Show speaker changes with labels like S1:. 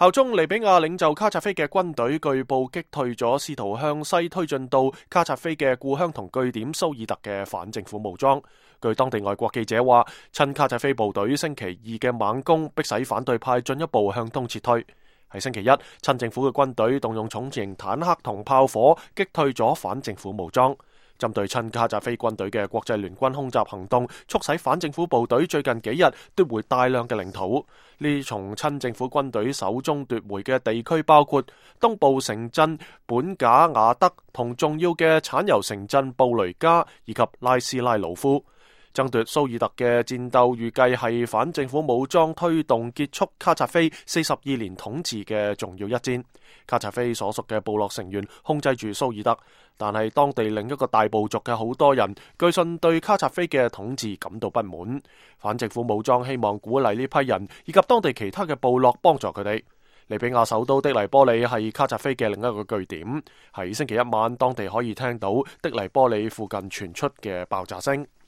S1: 效忠利比亞領袖卡扎菲嘅軍隊據報擊退咗試圖向西推進到卡扎菲嘅故鄉同據點蘇爾特嘅反政府武裝。據當地外國記者話，親卡扎菲部隊星期二嘅猛攻迫使反對派進一步向東撤退。喺星期一，親政府嘅軍隊動用重型坦克同炮火擊退咗反政府武裝。針對親卡扎菲軍隊嘅國際聯軍空襲行動，促使反政府部隊最近幾日奪回大量嘅領土。呢從親政府軍隊手中奪回嘅地區包括東部城鎮本賈瓦德同重要嘅產油城鎮布雷加以及拉斯拉魯夫。爭奪蘇爾特嘅戰鬥預計係反政府武裝推動結束卡扎菲42年統治嘅重要一戰。卡扎菲所屬嘅部落成員控制住蘇爾特，但係當地另一個大部族嘅好多人據信對卡扎菲嘅統治感到不滿。反政府武裝希望鼓勵呢批人以及當地其他嘅部落幫助佢哋。利比亞首都的黎波里係卡扎菲嘅另一個據點，喺星期一晚當地可以聽到的黎波里附近傳出嘅爆炸聲。